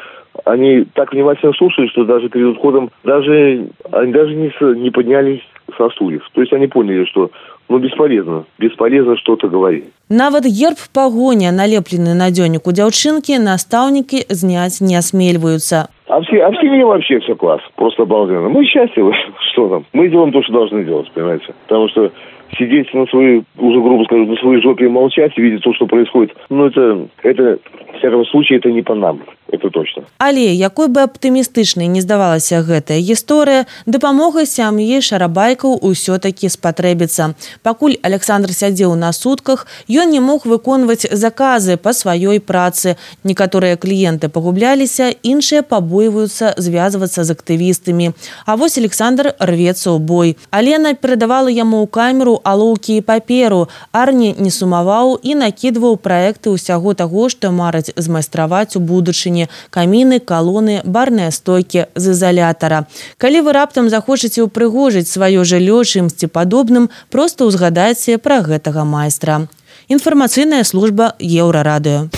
Они так внимательно слушали, что даже перед уходом даже, они даже не, не поднялись со стульев. То есть они поняли, что ну, бесполезно. Бесполезно что-то говорить. Нават герб пагоня, налеплены на дзённіку дзяўчынкі, настаўнікі зняць не осмеливаются. А в, а в семье вообще все класс. Просто обалденно. Мы счастливы. Что там? Мы делаем то, что должны делать, понимаете? Потому что сидеть на своей, уже грубо скажу, на своей жопе и молчать, и видеть то, что происходит, ну это, это, в всяком случае, это не по нам. Это точно. Але, якой бы аптымістычнай не здавалася гэтая гісторыя, дапамога сям'і шарабайкаў усё-такі спатрэбіцца. Пакуль Александр сядзеў на сутках, ён не мог выконваць заказы па сваёй працы. Некаторыя кліенты пагубляліся, іншыя пабойваюцца звязвацца з актывістамі. А вось Александр рвецца ў бой. Алена перадавала яму ў камеру алоўкі і паперу. Арні не сумаваў і накідваў праекты ўсяго таго, што мараць змайстраваць у будучыні. Каміны, калоны, барныя стойкі з ізалятара. Калі вы раптам захочаце ўпрыгожыць сваё жыллё чымсьці падобным, проста ўзгадайце пра гэтага майстра. Інфармацыйная служба Еўрарадыё.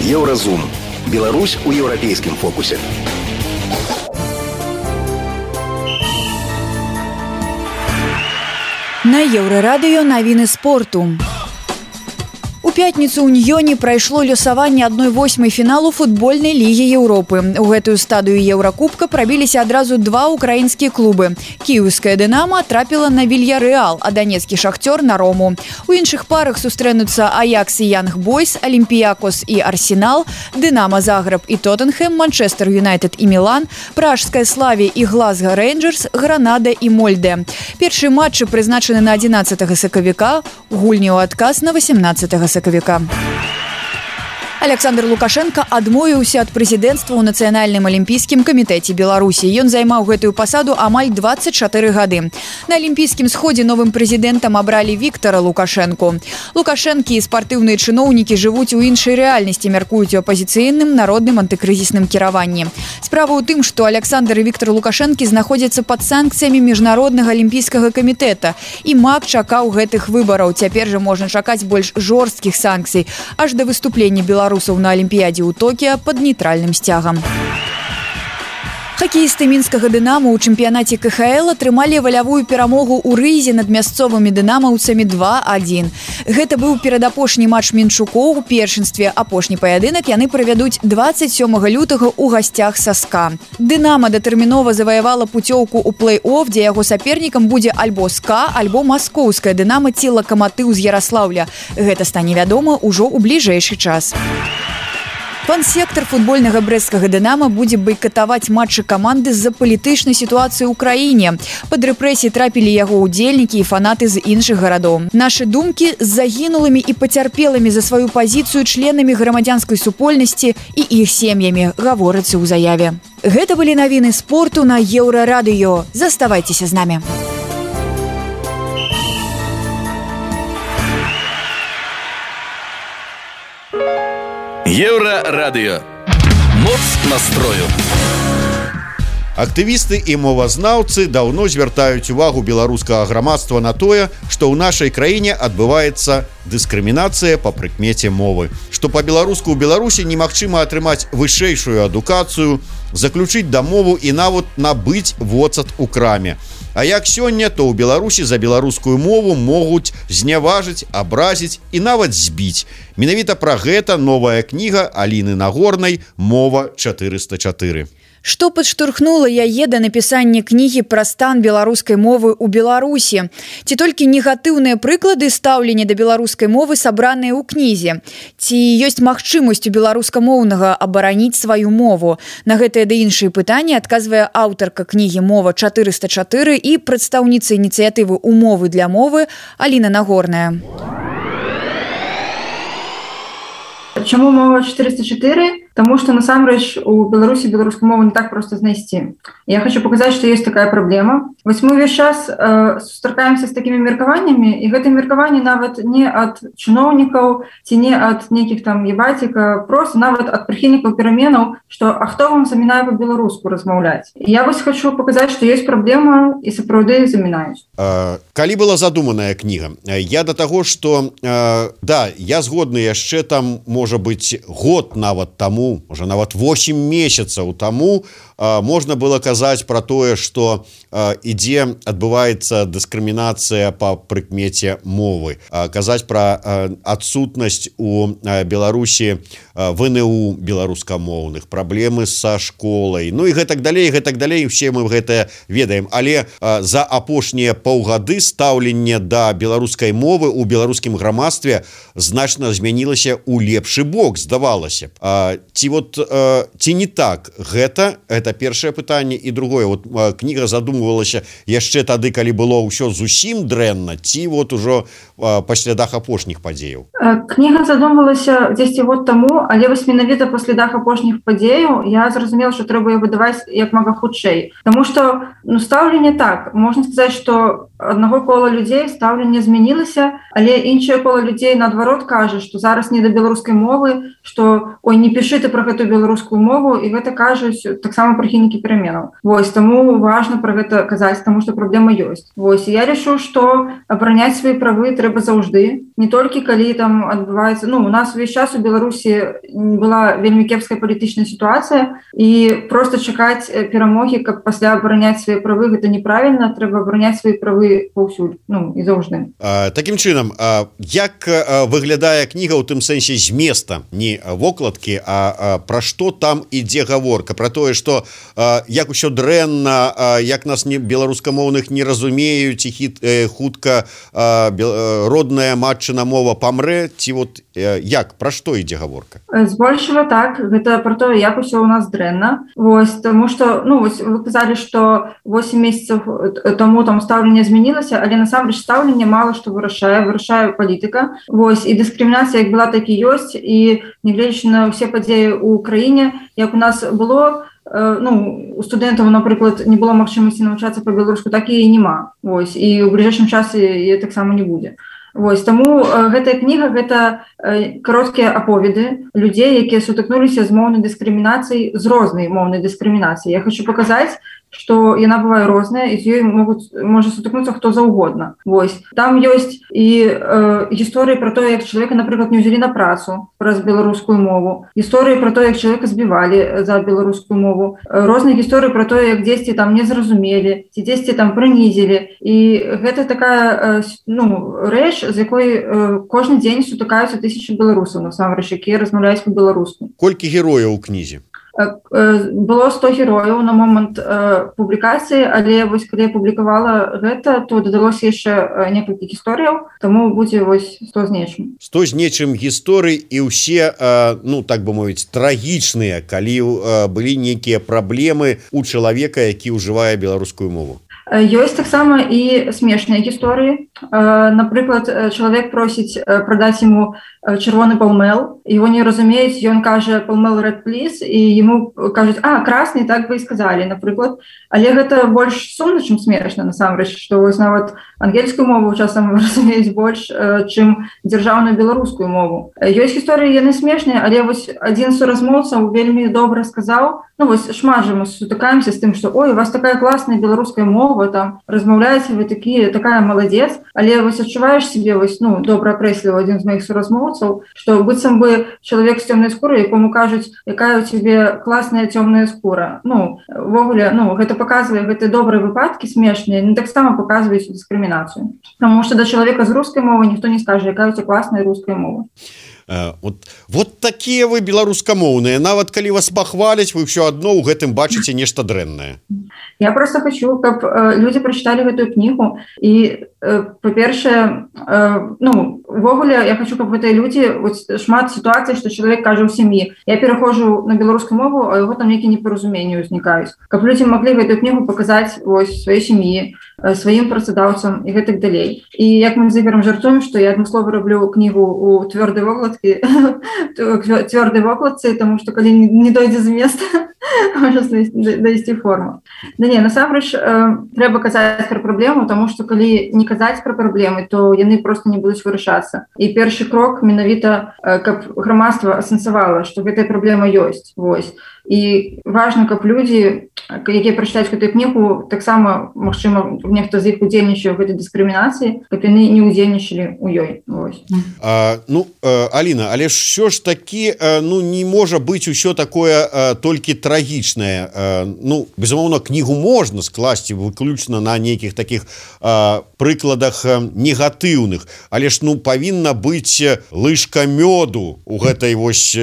Еўразум. Беларусь у еўрапейскім фокусе. На Еўрарадыё навіны спорту. У пятніцу ў Ньёне прайшло лёсаванне адной восьмай фіналу футбольнай лігі Еўропы. У гэтую стадыю Еўракубка прабіліся адразу два украінскія клубы. Кіеўская «Дынама» трапіла на Вільярэал, а данецкі «Шахцёр» на Рому. У іншых парах сустрэнуцца «Аякс» і «Янг Бойс», «Алімпіякос» і «Арсенал», «Дынама» Загрэб і «Тоттенхэм», «Манчестер Юнайтед» і «Мілан», «Пражская Славі» і «Глазго Рэйнджерс», «Гранада» і «Мольдэ». Першыя матчы прызначаны на адзінаццатага сакавіка, гульні ў адказ на васемнаццатага сакавіка. Александр Лукашенко адмовіўся ад прэзідэнцтва ў Нацыянальным алімпійскім камітэце Беларусі. Ён займаў гэтую пасаду амаль дваццаць чатыры гады. На алімпійскім сходзе новым прэзідэнтам абралі Віктара Лукашэнку. Лукашэнкі і спартыўныя чыноўнікі жывуць у іншай рэальнасці, мяркуюць у апазіцыйным народным антыкрызісным кіраванні. Справа ў тым, што Александр і Віктар Лукашэнкі знаходзяцца пад санкцыямі міжнароднага алімпійскага камітэта. І МАК чакаў гэтых выбараў. Цяпер жа можна чакаць больш жорсткіх санкцый, аж да выступлення Беларусі на Олимпиаде у Токио под нейтральным стягом. Хакеісты мінскага «Дынамо» ў чэмпіянаце ка ха эл атрымалі валявую перамогу ў рызе над мясцовымі дынамаўцамі два адзін. Гэта быў перадапошні матч мінчукоў у першынстве. Апошні паядынак яны правядуць дваццаць сёмага лютага ў гасцях са СКА. «Дынамо» датэрмінова заваявала пуцёўку ў плэй-офф, дзе яго сапернікам будзе альбо СКА, альбо маскоўская «Дынамо» ці «Лакаматыў» з Яраслаўля. Гэта стане вядома ўжо ў бліжэйшы час. Фан-сектор футбольнага брэсцкага «Дынамо» будзе байкатаваць матчы каманды з-за палітычнай сітуацыі ў краіне. Пад рэпрэсіі трапілі яго ўдзельнікі і фанаты з іншых гарадоў. Нашы думкі з загінулымі і пацярпелымі за сваю пазіцыю членамі грамадзянскай супольнасці і іх сем'ямі, гаворыцца ў заяве. Гэта былі навіны спорту на Еўрарадыё. Заставайцеся з намі. Еўрарадыё. Моц настрою. Актывісты і мовазнаўцы даўно звяртаюць увагу беларускага грамадства на тое, што ў нашай краіне адбываецца дыскрымінацыя па прыкмеце мовы, што па-беларуску ў Беларусі немагчыма атрымаць вышэйшую адукацыю, заключыць дамову і нават набыць воцат у краме. А як сёння, то ў Беларусі за беларускую мову могуць зняважыць, абразіць і нават збіць. Менавіта пра гэта новая кніга Аліны Нагорнай «Мова чатырыста чатыры». Што падштурхнула яе да напісання кнігі пра стан беларускай мовы ў Беларусі? Ці толькі негатыўныя прыклады стаўлення да беларускай мовы сабраныя ў кнізе? Ці ёсць магчымасць у беларускамоўнага абараніць сваю мову? На гэтыя ды іншыя пытанні адказвае аўтарка кнігі «Мова чатырыста чатыры» і прадстаўніца ініцыятывы «Умовы для мовы» Аліна Нагорная. Чаму мова чатырыста чатыры? Потому что, насамрэч, у Беларусі беларускую мову не так просто знайсці. Я хочу показать, что есть такая проблема. Вось мы увесь час э, сустракаемся с такими меркаваннями, и гэта меркаванне нават не от чыноўнікаў, ці не от нейкіх там ебатіка, просто нават от прыхільнікаў пераменаў, что а хто вам замінае по-беларуску размаўляць. Я вось хочу показать, что есть проблема, і сапраўды замінаюць. Э, калі была задуманая кніга? Я до того, что э, да, я згодны яшчэ там, можа быць, год нават таму, уже нават восемь месяцаў таму э, можна было казаць пра тое, што э, ідзе адбываецца дыскрымінацыя па прыкмеце мовы, э, казаць пра э, адсутнасць у э, Беларусі э, ВНУ беларускамоўных, праблемы са школай, ну і гэтак далей, гэтак далей, усе мы гэта ведаем, але э, за апошнія паўгады стаўленне да беларускай мовы у беларускім грамадстве значна змянілася ў лепшы бок, здавалася. Э, ці вот э, ці не так гэта это першае пытанне, і другое, вот э, кніга задумвалася яшчэ тады, калі было ўсё зусім дрэнна, ці вот ужо э, па слядах апошніх падзеяў? Кніга задумвалася дзесьці год таму, але вось менавіта па слядах апошніх падзеяў я зразумела, што трэба яе выдаваць як мага хутчэй, таму што ну, стаўленне так, можна сказаць, што аднаго кола людзей стаўленне змянілася, але іншае кола людзей наадварот кажа, што зараз не да беларускай мовы, што ой, не пішы ты пра гэту беларускую мову, і гэта кажуць таксама прыхільнікі пераменаў. Вось, таму важна пра гэта казаць, таму што праблема ёсць. Вось, я лічу, што абараняць свае правы трэба заўжды, не толькі калі там адбываецца, ну, у нас увесь час у Беларусі была вельмі кепская палітычная сітуацыя, і проста чакаць перамогі, каб пасля абараняць свае правы, гэта неправільна, трэба абараняць свае правы паўсюль, ну, і заўжды. А, такім чынам, а, як а, выглядае кніга ў тым сэнсе зместа, не вокладкі, а, а пра што там ідзе гаворка, пра тое, што а, як усё дрэнна, а, як нас не беларускамоўных не разумеюць, і хіт, э, хутка а, бел, родная матчына мова памрэ, ці вот э, як, пра што ідзе гаворка? Збольшага так, гэта пра тое, як усё у нас дрэнна. Вось, таму што, ну, вось вы казалі, што восемь месяцаў таму там стаўленне змянілася, але насамрэч стаўленне мала што вырашае, вырашае палітыка. Вось, і дыскрымінацыя як была, так і ёсць, і нягледзячы на ўсе падзеі ў краіне, як у нас было, э, ну, у студэнтаў, напрыклад, не было магчымасці навучацца па-беларуску, так і няма. Вось, і ў бліжэйшым часе яе таксама не будзе. Вось, таму э, гэтая кніга – гэта э, кароткія аповеды людзей, якія сутыкнуліся з моўнай дыскрымінацыяй, з рознай моўнай дыскрымінацыяй. Я хочу паказаць, што яна бывае розная, і з ёй могуць, можа сутыкнуцца хто заўгодна. Вось. Там ёсць і э, гісторыі пра тое, як чалавека, напрыклад, не ўзялі на працу праз беларускую мову, гісторыі пра тое, як чалавека збівалі за беларускую мову, розныя гісторыі пра тое, як дзесьці там не зразумелі, ці дзесьці там прынізілі. І гэта такая э, ну, рэч, з якой э, кожны дзень сутыкаюцца тысячы беларусаў, насамрэч, якія размаўляюць па-беларуску. Колькі герояў у кнізе? Было сто герояў на момант э, публікацыі, але вось калі я публікавала гэта, то дадалося яшчэ некалькі гісторыяў, таму будзе вось сто з нечым. сто з нечым гісторый, і ўсе, э, ну, так бы мовіць, трагічныя, калі э, былі нейкія праблемы у чалавека, які ўжывае беларускую мову. Ёсць таксама і смешныя гісторыі. Напрыклад, чалавек просіць прадаць яму чырвоны палмел, его не разумеюць, ён кажа палмел red please, і яму кажуць, а, красны, так бы і сказалі, напрыклад. Але гэта больш сумна, чым смешна, насамрэч, што вось нават ангельскую мову часам разумеюць больш, чым дзяржаўную беларускую мову. Ёсць гісторыі, яны смешныя, але вось адзін з суразмоўцаў вельмі добра сказаў, ну вось шмат жа мы сутыкаемся з тым, што ой, у вас такая класная беларуская мова, мова там размаўляеце вы такі такая маладзец, але вось адчуваеш себе вось ну добра акрэсліў адзін з моих суразмоўцаў, што быццам бы чалавек з цёмнай скурай, якому кажуць, якая у цябе класная цёмная скура. Ну увогуле ну гэта показвае гэты добрыя выпадкі смешныя, не таксама паказваюць дыскрымінацыю. Таму што да чалавека з рускай мовы ніхто не скажа, якая у цябе класная руская мова. Вот, вот такія вы беларускамоўныя, нават калі вас пахваляць, вы ўсё адно ў гэтым бачыце нешта дрэннае. Я просто хочу, каб э, людзі прачыталі гэтую кнігу і э, па-першае э, ну увогуле я хочу, каб гэтыя людзі шмат сітуацый, што чалавек кажа ў сям'і, я пераходжу на беларускую мову, а яго там нейкія непаразуменні ўзнікаюць. Каб людзі маглі гэтую кнігу паказаць вось сваёй сям'і, э, сваім працадаўцам і гэтак далей. І як мы з Ігорам жартуем, што я адмыслова раблю кнігу у твёрдай вокладцы, твёрдай вокладцы, тому што калі не дойдзе з места, можа дайсці форму. Да не, насамрэч э, трэба казаць пра праблему, тому што калі не казаць пра праблемы, то яны просто не будуць вырашацца. І першы крок менавіта, э, каб грамадства асэнсавала, што гэтая праблема ёсць. Вось. І важна, каб людзі, якія прачытаюць гэтую кнігу, таксама, магчыма, нехта з іх удзельнічае ў гэтай дыскрымінацыі, каб яны не удзельнічалі ў ёй. Вось. А, ну, Аліна, але ж ўсё ж такі, ну, не можа быць усё такое толькі трагічнае. Ну, безумоўна, кнігу можна скласці выключна на нейкіх такіх прыкладах негатыўных, але ж, ну, павінна быць лыжка мёду у гэтай вось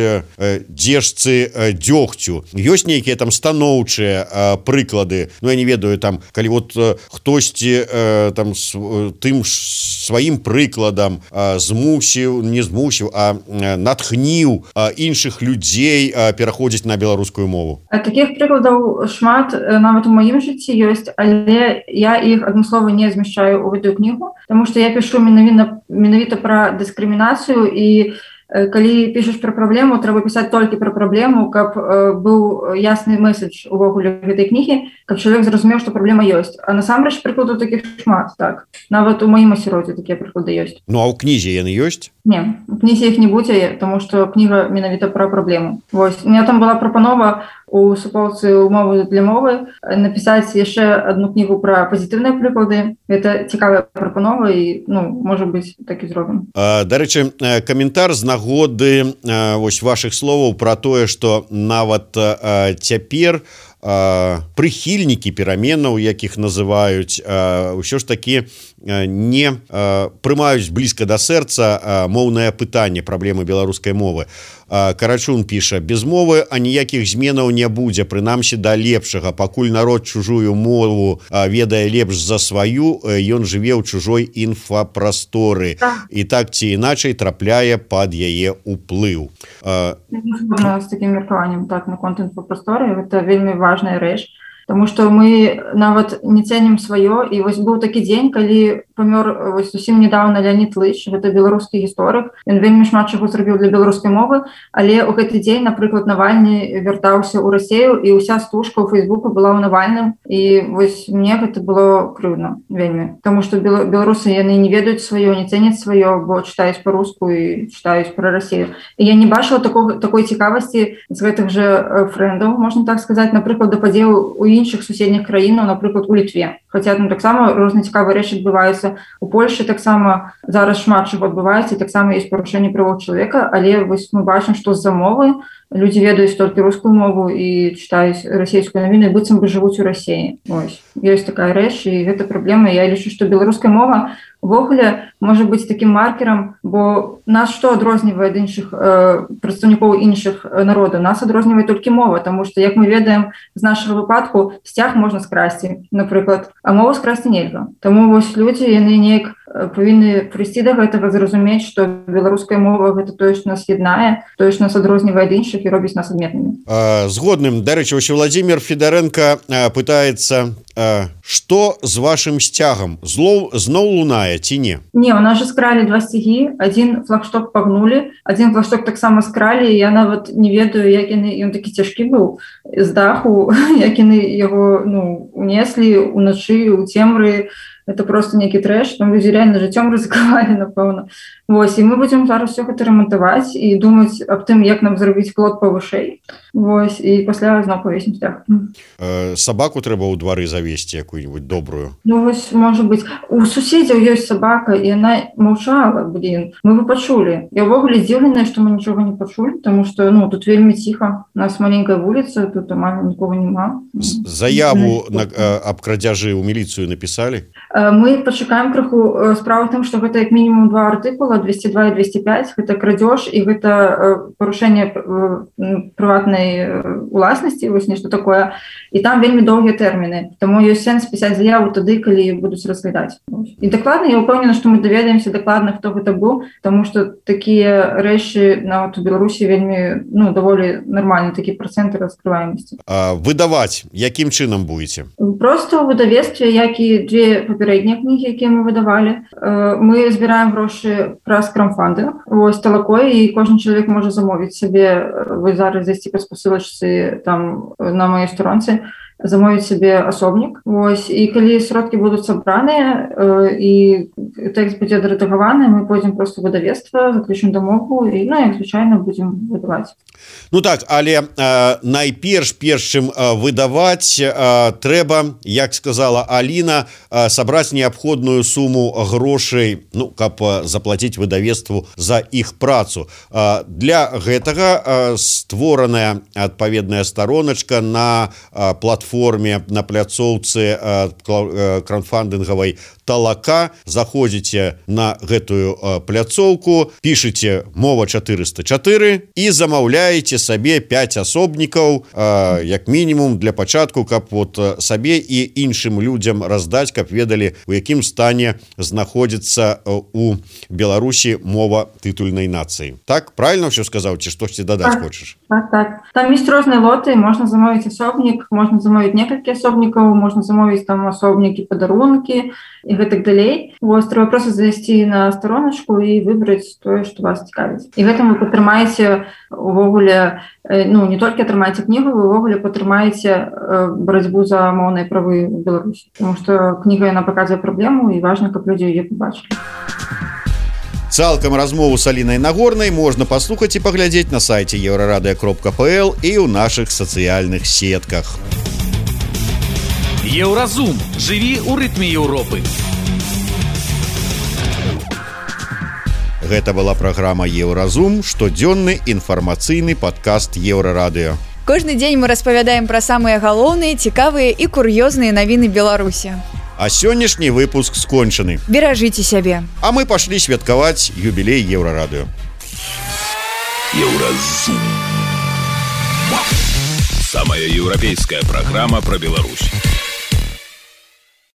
дзежцы дзёгцю. Ёсць нейкія там станоўчыя э, прыклады, ну я не ведаю там, калі вот э, хтосьці э, там с, э, тым сваім прыкладам э, змусіў, не змусіў, а э, натхніў э, іншых людзей э, пераходзіць на беларускую мову. А такіх прыкладаў шмат нават у маім жыцці ёсць, але я іх адмыслова не змяшчаю ў гэтую кнігу, таму што я пішу менавіта менавіта пра дыскрымінацыю і калі пішаш пра праблему, трэба пісаць толькі пра праблему, каб э, быў ясны месседж увогуле гэтай кнігі, каб чалавек зразумеў, што праблема ёсць. А насамрэч прыкладаў такіх шмат, так. Нават у маім асяроддзі такія прыклады ёсць. Ну а ў кнізе яны ёсць? Не, у кнізе іх не будзе, таму што кніга менавіта пра праблему. Вось. У меня там была прапанова у суполцы умовы для мовы напісаць яшчэ адну кнігу пра пазітыўныя прыклады. Гэта цікавая прапанова і, ну, можа быць, так і зробім. А, дарэчы, каментар з нагоды а, вось вашых словаў пра тое, што нават а, цяпер а, прыхільнікі пераменаў, якіх называюць, а, ўсё ж такі а, не а, прымаюць блізка да сэрца а, моўнае пытанне праблемы беларускай мовы. Карачун піша: без мовы аніякіх зменаў не будзе, прынамсі да лепшага, пакуль народ чужую мову ведае лепш за сваю, ён жыве ў чужой інфапрасторы і так ці іначай трапляе пад яе ўплыў. З такім меркаваннем, так, наконт інфапрасторы, гэта вельмі важная рэч, таму што мы нават не цэнім сваё. І вось быў такі дзень, калі памёр вось зусім недавно Леонид Лыч, гэта беларускі гісторык. Ён вельмі шмат чаго зрабіў для беларускай мовы, але ў гэты дзень, напрыклад, Навальны вяртаўся ў Расею, і ўся стужка ў Фейсбуку была ў Навальным. І вось мне гэта было крыўдна вельмі, таму што беларусы яны не ведаюць сваё, не цэняць сваё, бо чытаюць па-руску і чытаюць пра Расею. І я не бачыла такого, такой цікавасці з гэтых жа фрэндаў, можна так сказаць, напрыклад, да падзеў у іншых суседніх краінаў, напрыклад, у Літве. Хаця там таксама розныя цікавыя рэчы адбываюцца. У Польшчы таксама зараз шмат чаго адбываецца, і таксама ёсць парушэнне правоў чалавека, але вось мы бачым, што з-за мовы людзі ведаюць толькі рускую мову і чытаюць расейскую навіну, і быццам бы жывуць у Расеі. Вось. Ёсць такая рэч, і гэта праблема. Я лічу, што беларуская мова увогуле можа быць такім маркерам, бо нас што адрознівае ад іншых э, прадстаўнікоў іншых народаў? Нас адрознівае толькі мова, таму што, як мы ведаем, з нашага выпадку сцяг можна скрасці, напрыклад, а мову скрасці нельга. Таму вось людзі, яны неяк павінны прыйсці да гэтага, зразумець, што беларуская мова гэта тое, што нас яднае, тое, што нас адрознівае ад іншых і робіць нас адметнымі. Згодным. Дарэчы, вось Владзімир Федарэнка пытаецца, што з вашым сцягам? Злоў зноў лунае ці не? Не, у нас же скралі два сцягі, адзін флагшток пагнулі, адзін флагшток таксама скралі, і я нават не ведаю, як яны, ён такі цяжкі быў з даху, як яны яго, ну, унеслі ўначы, у цемры. Это просто нейкі трэш, там людзі реально жыццём рызыкавалі, напэўна. Вось, і мы будзем зараз все гэта рамантаваць і думаць аб тым, як нам зрабіць плот павышэй. вось і пасля зноў павесім сцяг. Э, сабаку трэба ў двары завесці якую-нибудь добрую. Ну вось, можа быць, у суседзяў ёсць сабака і яна маўчала, блин, мы бы пачулі. Я ўвогуле здзіўленая, што мы нічога не пачулі, тому што ну тут вельмі ціха, у нас маленькая вуліца, тут амаль нікога няма. Заяву на, э, аб крадзяжы ў міліцыю напісалі? Мы пачакаем крыху. Справа ў тым, што гэта як мінімум два артыкула, двести два і двести пять, гэта крадзеж і гэта парушэнне прыватнай уласнасці, вось нешта такое. І там вельмі доўгія тэрміны. Таму ёсць сэнс пісаць заяву тады, калі будуць разглядаць. І дакладна я ўпэўнена, што мы даведаемся дакладна, хто гэта быў, таму што такія рэчы нават у Беларусі вельмі ну даволі нармальны такі працэнты раскрываемасці. А выдаваць якім чынам будете? Просто ў выдавецтве, як і дзве папярэднія кнігі, якія мы выдавалі. Мы збіраем грошы праз краудфандинг. Вось талакой, і кожны чалавек можа замовіць сабе, вы зараз зайсці па спасылачцы там на маёй сторонцы, замовіць сабе асобнік. Вось, і калі сродкі будуць сабраныя э, і тэкст будзе адрэдагаваны, мы пойдзем проста ў выдавецтва, заключым дамову і ну, як звычайна будзем выдаваць. Ну так, але э, найперш перш чым э, выдаваць э, трэба, як сказала Аліна, э, сабраць неабходную суму грошай, ну каб э, заплаціць выдавецтву за іх працу. Э, для гэтага э, створаная адпаведная староначка на э, платформе форме на пляцоўцы краўдфандынгавай талака. Заходзіце на гэтую пляцоўку, пішыце мова чатырыста чатыры і замаўляеце сабе пяць асобнікаў як мінімум для пачатку, каб вот сабе і іншым людзям раздаць, каб ведалі, у якім стане знаходзіцца у Беларусі мова тытульнай нацыі. Так, правильно ўсё сказаў, ці штосьці дадаць так, хочаш? Так, так. Там ёсць розныя лоты, можна замовіць асобнік, можна замовіць некалькі асобнікаў, можна замовіць там асобнікі, падарункі і гэтак далей. Вось трэба проста зайсці на староначку і выбраць тое, што вас цікавіць. І гэтым вы патрымаеце увогуле, ну не толькі атрымаеце кнігу, вы увогуле патрымаеце барацьбу за моўныя правы ў Беларусі. Таму што кніга яна паказвае праблему і важна, каб людзі яе пабачылі. Цалкам размову з Алінай Нагорнай можна паслухаць і паглядзець на сайце еўрарадыё кропка пл і ў нашых сацыяльных сетках. Еўразум. Жыві ў рытме Еўропы. Гэта была праграма Еўразум, штодзённы інфармацыйны падкаст Еўрарадыё. Кожны дзень мы распавядаем пра самыя галоўныя, цікавыя і кур'ёзныя навіны Беларусі. А сённяшні выпуск скончаны. Беражыце сябе. А мы пашлі святкаваць юбілей Еўрарадыё. Еўразум. Самая еўрапейская праграма пра Беларусь.